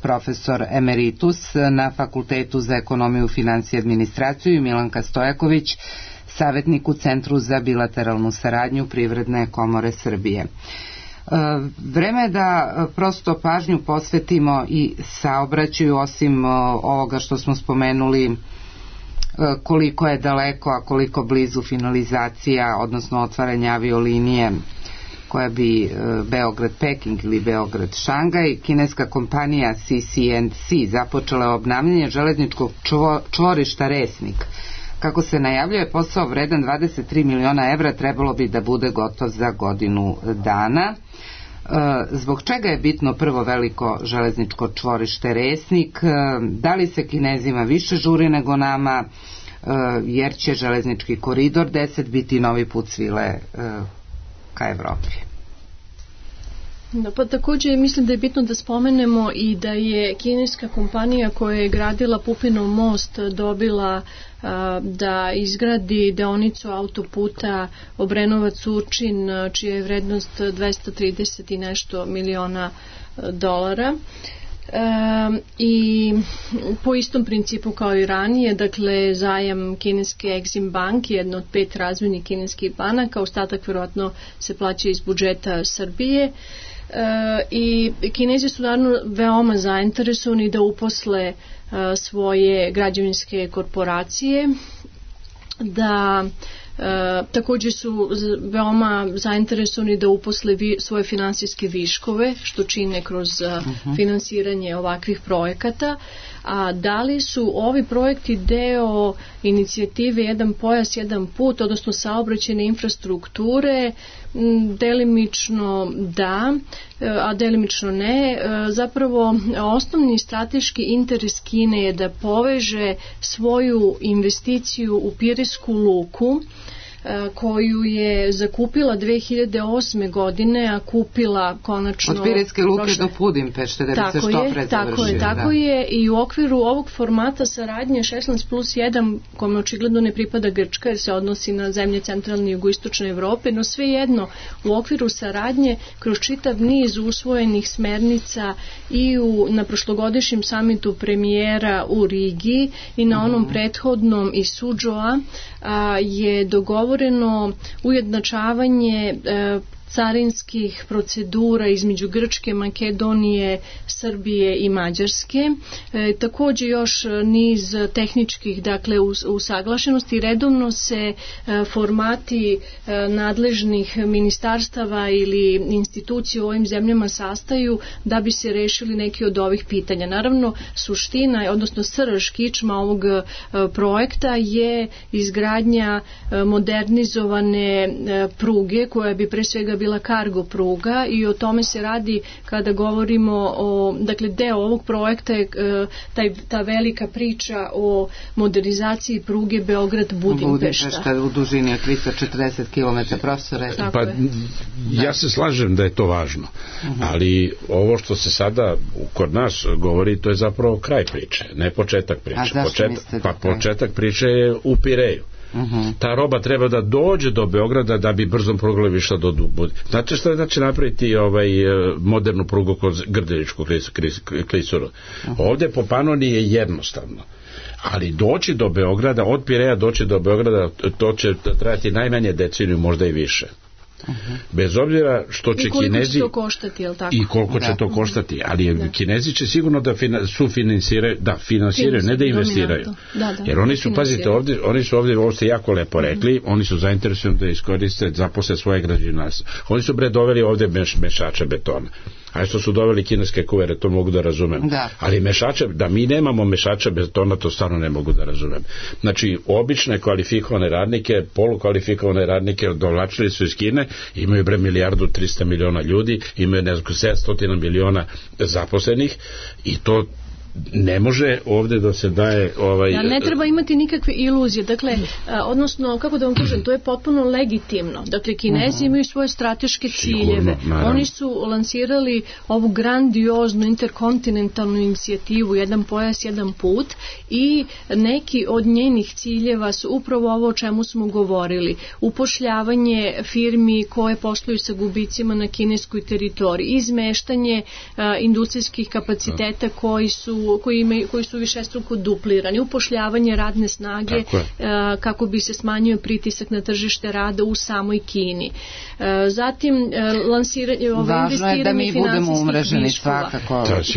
profesor emeritus na Fakultetu za ekonomiju, finansije i administraciju, i Milanka Stojaković, savjetnik u Centru za bilateralnu saradnju Privredne komore Srbije. Vreme je da prosto pažnju posvetimo i saobraćaju, osim ovoga što smo spomenuli koliko je daleko, a koliko blizu finalizacija, odnosno otvaranja aviolinije koja bi Beograd-Peking ili Beograd-Šangaj. Kineska kompanija C C and C započela obnavljanje železničkog čvorišta Resnik. Kako se najavljuje, posao vredan dvadeset tri miliona evra trebalo bi da bude gotov za godinu dana. Zbog čega je bitno prvo veliko železničko čvorište Resnik? Da li se Kinezima više žuri nego nama, jer će železnički koridor deset biti novi put svile ka Evropi? Da, pa također mislim da je bitno da spomenemo i da je kineska kompanija koja je gradila Pupinov most dobila a, da izgradi deonicu autoputa Obrenovac-Surčin, čija je vrednost dvesta trideset i nešto miliona dolara. E, i po istom principu kao i ranije, dakle zajam kineske Exim Bank, jedna od pet razvojnih kineskih banaka, ostatak vjerojatno se plaća iz budžeta Srbije. E, i Kinezi su naravno veoma zainteresovani da uposle e, svoje građevinske korporacije, da E, također su veoma zainteresovani da uposle vi, svoje finansijske viškove, što čine kroz uh-huh. finansiranje ovakvih projekata. A da li su ovi projekti deo inicijative Jedan pojas, jedan put, odnosno saobraćajne infrastrukture? Delimično da, a delimično ne. Zapravo osnovni strateški interes Kine je da poveže svoju investiciju u Piresku luku, koju je zakupila dve hiljade osme godine, a kupila konačno od Pireske luke prošle... do Budimpešte, da bi se što pre završio. Tako je, tako da. je i u okviru ovog formata saradnje šesnaest plus jedan, kome očigledno ne pripada Grčka jer se odnosi na zemlje centralne i jugoistočne Evrope, no svejedno u okviru saradnje kroz čitav niz usvojenih smernica i u, na prošlogodišnjem samitu premijera u Rigi i na onom uh-huh. prethodnom iz Sudžoa je dogovoreno ujednačavanje e, carinskih procedura između Grčke, Makedonije, Srbije i Mađarske. E, također još niz tehničkih, dakle, us, usaglašenosti. Redovno se e, formati e, nadležnih ministarstava ili institucija u ovim zemljama sastaju da bi se rešili neki od ovih pitanja. Naravno, suština, odnosno srž, kičma ovog e, projekta je izgradnja e, modernizovane e, pruge koja bi pre svega bila kargo pruga i o tome se radi kada govorimo o, dakle, deo ovog projekta je taj, ta velika priča o modernizaciji pruge Beograd-Budimpešta. Budimpešta u dužini od tristo četrdeset kilometara, profesore. Pa ja se slažem da je to važno, uh-huh. ali ovo što se sada kod nas govori, to je zapravo kraj priče, ne početak priče. A zašto početak, mislite pa kraj? Početak priče je u Pireju. Uh-huh. Ta roba treba da dođe do Beograda da bi brzom prugom išla do Budimpešta. Znate što je znači napraviti ovaj modernu prugu kod Grdeličkog klisura? Uh-huh. Ovdje po Panoniji je jednostavno. Ali doći do Beograda, od Pireja doći do Beograda, to će trajati najmanje deceniju, možda i više. Uh-huh. Bez obzira što će I koliko Kinezi će to koštati, jel tako? I koliko da. će to koštati, ali da. Kinezi će sigurno da fina, sufinansiraju, da finansiraju, ne da investiraju. Da, da, jer oni su, pazite, ovdje, oni su ovdje, ovo ste jako lepo rekli, uh-huh. oni su zainteresovani da iskoriste, zaposle svoje građevinarstvo. Oni su bre doveli ovdje meš, mešače betona. A što su doveli kineske kuvere, to mogu da razumem. Da. Ali mešače, da mi nemamo mešača betona, to stvarno ne mogu da razumem. Znači, obične kvalifikovane radnike, polukvalifikovane radnike dovlačili su iz Kine, imaju bre milijardu trista miliona ljudi, imaju ne znam sedamsto miliona zaposlenih i to ne može ovdje da se daje ovaj... Da, ne treba imati nikakve iluzije, dakle, a, odnosno, kako da vam kažem, to je potpuno legitimno. Dakle, Kinezi uh-huh. imaju svoje strateške ciljeve. Sigurno, oni su lansirali ovu grandioznu interkontinentalnu inicijativu Jedan pojas, jedan put i neki od njenih ciljeva su upravo ovo o čemu smo govorili. Upošljavanje firmi koje posluju sa gubicima na kineskoj teritoriji, izmeštanje a, industrijskih kapaciteta koji su su, koji, imaju, koji su višestruko duplirani, upošljavanje radne snage a, kako bi se smanjio pritisak na tržište rada u samoj Kini. A, zatim a, lansiranje ove investiranje finansijskih viškova.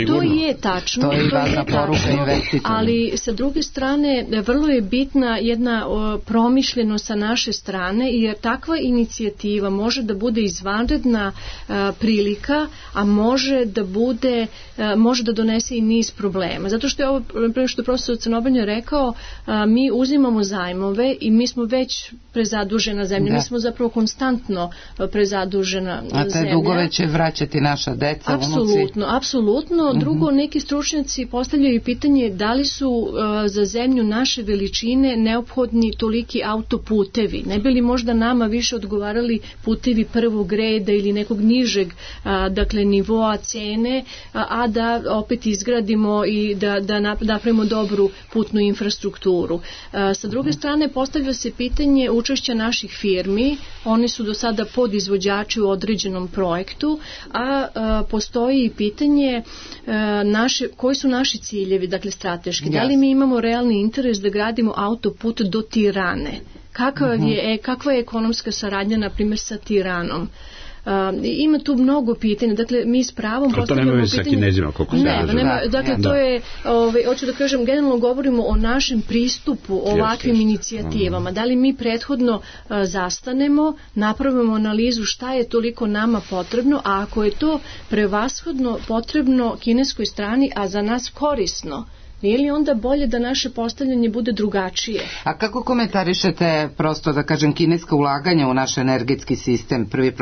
To je tačno, to je, to je tačno, ali sa druge strane vrlo je bitna jedna o, promišljenost sa naše strane, jer takva inicijativa može da bude izvanredna a, prilika, a može da bude, a, može da donese i niz problema. Zato što je ovo, prema što je profesor Crnobrnja rekao, a, mi uzimamo zajmove i mi smo već prezadužena zemlja, da. Mi smo zapravo konstantno prezadužena zemlja. A te dugove će vraćati naša deca, apsolutno, unuci? Apsolutno. Drugo, uh-huh. neki stručnjaci postavljaju pitanje da li su uh, za zemlju naše veličine neophodni toliki autoputevi. Ne bi li možda nama više odgovarali putevi prvog reda ili nekog nižeg a, dakle nivoa cene, a, a da opet izgradimo i da, da napravimo dobru putnu infrastrukturu. A, sa druge strane postavlja se pitanje učešća naših firmi. Oni su do sada podizvođači u određenom projektu, a, a postoji i pitanje a, naše, koji su naši ciljevi, dakle strateški. Yes. Da li mi imamo realni interes da gradimo autoput do Tirane? Kakva je, kakva je ekonomska saradnja, na primjer, sa Tiranom? Uh, ima tu mnogo pitanja, dakle mi s pravom postavljamo pitanje. To nema veze sa Kinezima, koliko se ne, nema, dakle da. To je, ovaj, hoću da kažem, generalno govorimo o našem pristupu ovakvim yes, yes. inicijativama. Da li mi prethodno uh, zastanemo, napravimo analizu šta je toliko nama potrebno, a ako je to prevashodno potrebno kineskoj strani, a za nas korisno, nije li onda bolje da naše postavljanje bude drugačije? A kako komentarišete, prosto da kažem, kineska ulaganja u naš energetski sistem? Prvi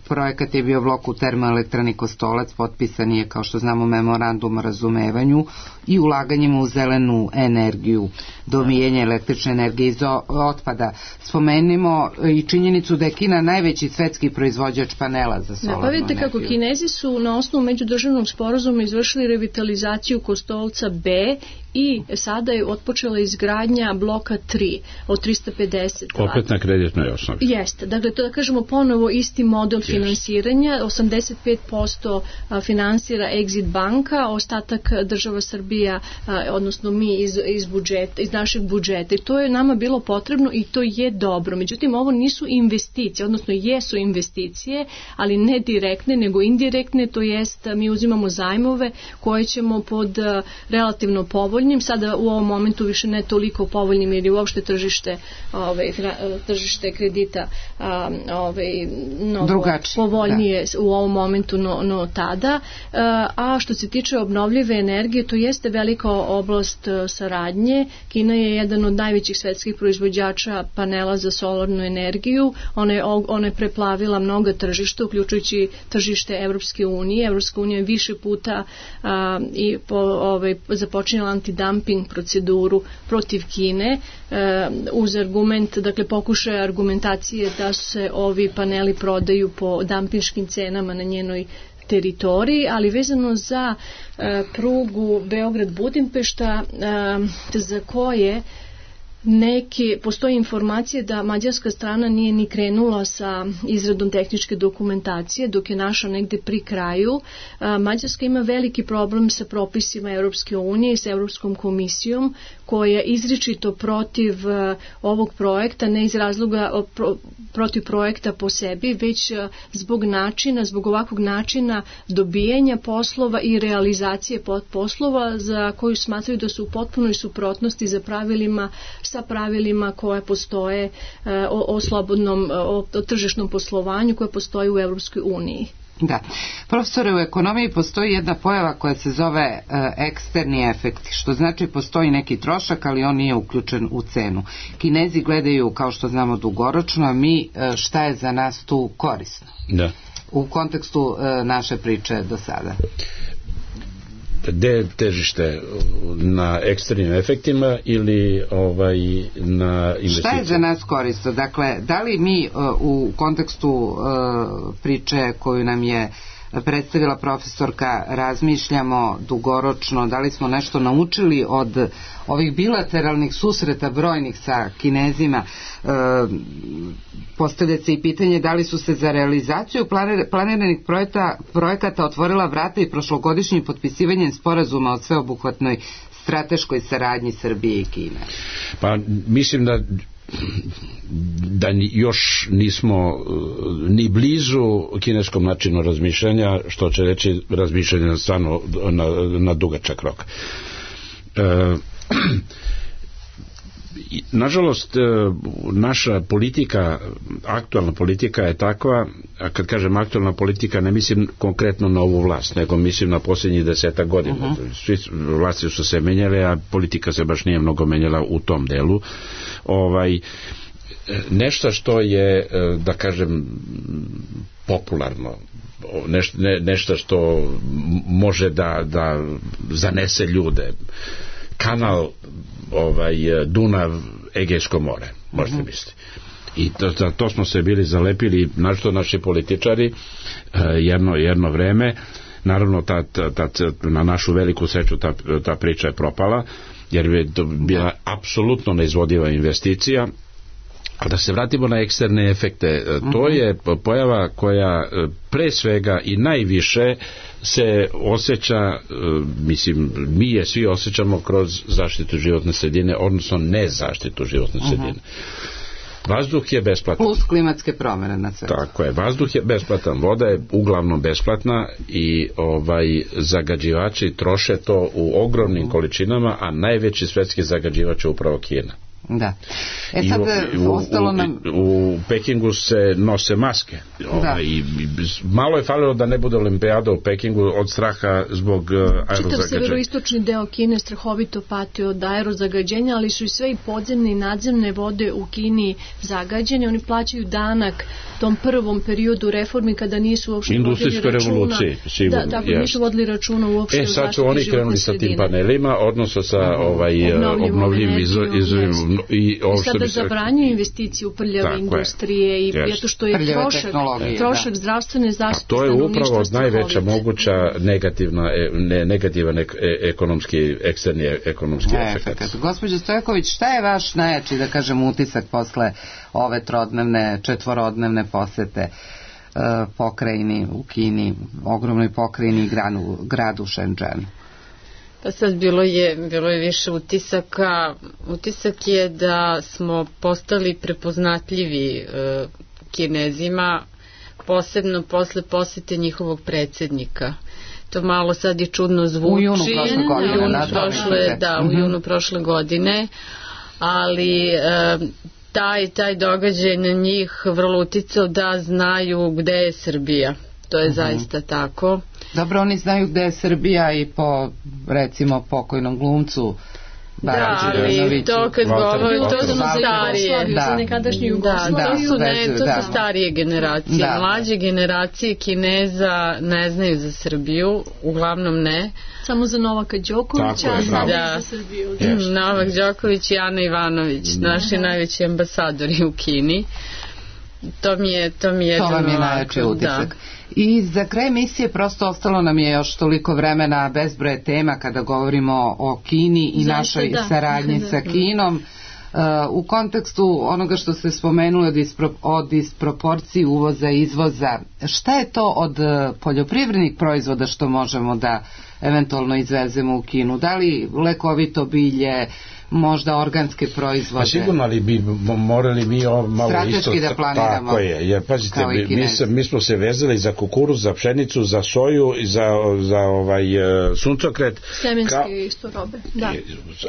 projekat je bio blok u termoelektrani Kostolac, potpisan je, kao što znamo, memorandum o razumevanju i ulaganjima u zelenu energiju, domijenje električne energije iz otpada. Spomenimo i činjenicu da je Kina najveći svetski proizvođač panela za solarnu energiju. Pa vidite kako Kinezi su na osnovu međudržavnog sporazuma izvršili revitalizaciju Kostolca B i sada je otpočela izgradnja bloka tri od trista pedeset. Opet na kreditnoj osnovi. Jeste, dakle to da kažemo ponovo isti model Jeste. Finansiranja, osamdeset pet posto finansira Exit banka, ostatak država Srbija, odnosno mi iz, iz budžeta, iz našeg budžeta. I to je nama bilo potrebno i to je dobro. Međutim, ovo nisu investicije, odnosno jesu investicije, ali ne direktne, nego indirektne, to jest mi uzimamo zajmove koje ćemo pod relativno povoljnim, sada u ovom momentu više ne toliko povoljnim jer je uopšte tržište ove, tržište kredita ove, mnogo Drugači, povoljnije da. U ovom momentu no, no tada, a što se tiče obnovljive energije, to jeste velika oblast saradnje. Kina je jedan od najvećih svetskih proizvođača panela za solarnu energiju, ona je, ona je preplavila mnoga tržišta, uključujući tržište Evropske unije. Evropska unija je više puta a, i po, ove, započinjala antidumping proceduru protiv Kine e, uz argument, dakle pokušaj argumentacije da se ovi paneli prodaju po dampinškim cenama na njenoj teritoriji, ali vezano za e, prugu Beograd-Budimpešta e, za koje neke, postoji informacije da mađarska strana nije ni krenula sa izradom tehničke dokumentacije, dok je naša negde pri kraju. Mađarska ima veliki problem sa propisima Europske unije i sa Europskom komisijom, koja izričito protiv ovog projekta, ne iz razloga protiv projekta po sebi, već zbog načina, zbog ovakvog načina dobijanja poslova i realizacije poslova za koju smatraju da su u potpunoj suprotnosti za pravilima sa pravilima koje postoje o, o slobodnom, o, o tržišnom poslovanju koje postoji u Europskoj uniji. Da. Profesore, u ekonomiji postoji jedna pojava koja se zove e, eksterni efekti, što znači postoji neki trošak, ali on nije uključen u cenu. Kinezi gledaju, kao što znamo, dugoročno, a mi e, šta je za nas tu korisno? Da. U kontekstu e, naše priče do sada. Gde je težište, na eksternim efektima ili ovaj na investicijama? Šta je za nas korisno? Dakle, da li mi uh, u kontekstu uh, priče koju nam je predstavila profesorka, razmišljamo dugoročno, da li smo nešto naučili od ovih bilateralnih susreta brojnih sa Kinezima. E, postavlja se i pitanje da li su se za realizaciju planiranih projekta, projekata otvorila vrata i prošlogodišnjim potpisivanjem sporazuma o sveobuhvatnoj strateškoj saradnji Srbije i Kine. Pa mislim da da još nismo ni blizu kineskom načinu razmišljanja, što će reći razmišljanje stvarno na, na dugačak rok. E, nažalost, naša politika, aktualna politika je takva, a kad kažem aktualna politika ne mislim konkretno na ovu vlast, nego mislim na posljednjih desetak godina. Uh-huh. Svi vlasti su se menjale, a politika se baš nije mnogo menjala u tom delu. Ovaj, nešto što je, da kažem, popularno, neš, ne, nešto što može da, da zanese ljude, kanal ovaj, Dunav, Egejsko more, možete uh-huh. misliti. I to, to, to smo se bili zalepili, našto naši političari, jedno, jedno vreme. Naravno, ta, ta, ta, na našu veliku sreću ta, ta priča je propala, jer je to bila apsolutno neizvodiva investicija. A da se vratimo na eksterne efekte, to je pojava koja pre svega i najviše se osjeća, mislim, mi je svi osjećamo kroz zaštitu životne sredine, odnosno ne zaštitu životne sredine. Vazduh je besplatan. Plus klimatske promjene na sve. Tako je, vazduh je besplatan, voda je uglavnom besplatna i ovaj zagađivači troše to u ogromnim količinama, a najveći svetski zagađivač je upravo Kina. Da. E sad I u, ostalo nam... u, u Pekingu se nose maske. Ovaj, i, malo je falilo da ne bude olimpijada u Pekingu od straha zbog uh, aerozagađenja. Čitav severoistočni deo Kine strahovito pati od aerozagađenja, ali su i sve i podzemne i nadzemne vode u Kini zagađene. Oni plaćaju danak tom prvom periodu reformi kada nisu uopšte vodili računa. Da, tako, yes. nisu vodili računa uopšte. E, sad su oni krenuli sa tim panelima, odnosno sa ovaj, obnovljivim izvorima. I ovo sada zabranjuju investicije u prljave industrije i yes. zato što je trošak, trošak zdravstvene zaštite. A to je upravo najveća moguća negativna, ne, negativan ek, ekonomski, eksterni ekonomski efekt. Gospođo Stojković, šta je vaš najjači, da kažem, utisak posle ove trodnevne, četvorodnevne posete uh, pokrajini u Kini, ogromnoj pokrajini i gradu, gradu Shenzhen? Pa sad bilo je, bilo je više utisaka. Utisak je da smo postali prepoznatljivi e, Kinezima, posebno posle posete njihovog predsjednika. To malo sad je čudno zvuči. U junu prošle godine. U junu prošle, da, u junu prošle godine, ali e, taj, taj događaj na njih vrlo uticao da znaju gde je Srbija. To je uh-huh. zaista tako. Dobro, oni znaju gde je Srbija i po, recimo, pokojnom glumcu Da, ali to kad govori, to su starije, za nekadašnju Jugoslaviju. To su, ne, to su starije generacije. Mlađe generacije Kineza ne znaju za Srbiju, uglavnom ne. Samo za Novaka Đokovića, a samo za Srbiju. Novak Đoković i Ana Ivanović, naši najveći ambasadori u Kini. To mi je, to mi je, to vam je najjači utisak. I za kraj emisije prosto ostalo nam je još toliko vremena, bezbroj tema kada govorimo o Kini i Zašto, našoj da. saradnji sa Kinom. Uh, u kontekstu onoga što ste spomenuli od, ispro, od disproporciji uvoza i izvoza, šta je to od poljoprivrednih proizvoda što možemo da eventualno izvezemo u Kinu? Da li lekovito bilje, možda organske proizvode? Pa sigurno, ali bi morali mi ovo malo strateški isto, da planiramo. Tako je, jer pazite, mi, mi, mi smo se vezali za kukuruz, za pšenicu, za soju i za, za ovaj suncokret. Semenske ka... isto robe, da.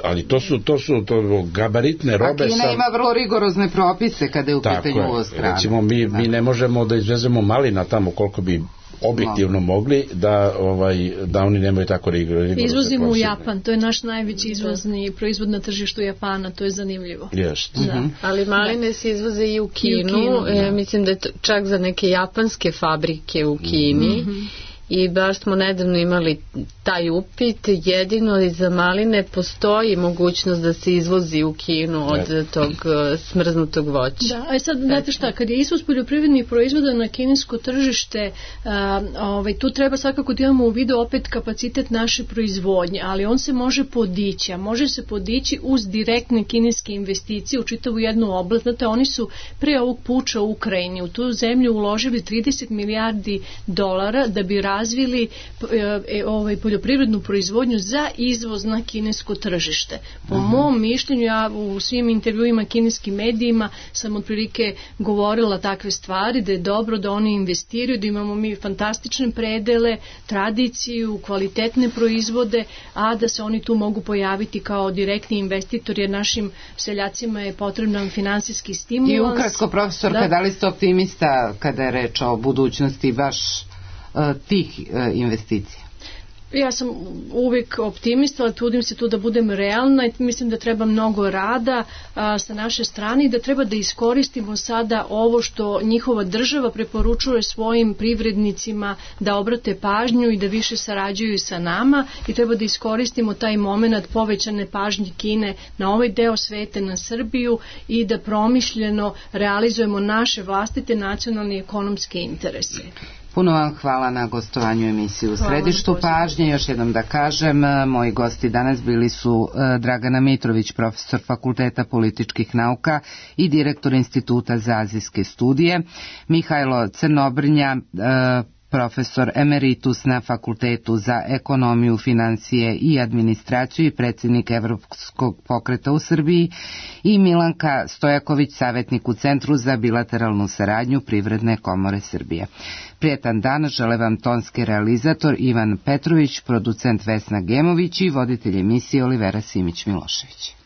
Ali to su, to su to gabaritne robe. A Kina sa... ima vrlo rigorozne propise kada je u pitanju uvoz hrane. Recimo, mi, da. mi ne možemo da izvezemo malina tamo koliko bi objektivno mogli da ovaj da oni nemaju tako rigorozne. Izvozimo u Japan, to je naš najveći izvozni proizvod na tržištu Japana, to je zanimljivo. Jest. Da. Mm-hmm. Ali maline se izvoze i u Kinu, I u Kinu e, mislim da je to čak za neke japanske fabrike u Kini. Mm-hmm. i baš smo nedavno imali taj upit. Jedino za maline postoji mogućnost da se izvozi u Kinu od tog smrznutog voća. Da, a sad, znate šta, kad je izvoz poljoprivrednih proizvoda na kinesko tržište, a, ovaj, tu treba svakako da imamo u vidu opet kapacitet naše proizvodnje, ali on se može podići, a može se podići uz direktne kineske investicije u čitavu jednu oblast. Znate, oni su pre ovog puča u Ukrajini u tu zemlju uložili trideset milijardi dolara da bi razvili e, ovaj, poljoprivrednu proizvodnju za izvoz na kinesko tržište. Po uh-huh. mom mišljenju, ja u svim intervjuima kineskim medijima sam otprilike govorila takve stvari, da je dobro da oni investiraju, da imamo mi fantastične predele, tradiciju, kvalitetne proizvode, a da se oni tu mogu pojaviti kao direktni investitori, jer našim seljacima je potreban finansijski stimulans. I ukratko, profesorka, da, da li ste optimista kada je reč o budućnosti baš uh, tih uh, investicija? Ja sam uvijek optimista, ali trudim se tu da budem realna i mislim da treba mnogo rada a, sa naše strane i da treba da iskoristimo sada ovo što njihova država preporučuje svojim privrednicima da obrate pažnju i da više sarađuju sa nama i treba da iskoristimo taj moment povećane pažnje Kine na ovaj deo sveta, na Srbiju i da promišljeno realizujemo naše vlastite nacionalne i ekonomske interese. Puno vam hvala na gostovanju emisiju u Središtu pažnje. Još jednom da kažem, moji gosti danas bili su Dragana Mitrović, profesor Fakulteta političkih nauka i direktor Instituta za azijske studije, Mihajlo Crnobrnja, profesor emeritus na Fakultetu za ekonomiju, financije i administraciju i predsjednik Evropskog pokreta u Srbiji, i Milanka Stojaković, savjetnik u Centru za bilateralnu saradnju Privredne komore Srbije. Prijetan dan žele vam tonski realizator Ivan Petrović, producent Vesna Gemović i voditelj emisije Olivera Simić-Milošević.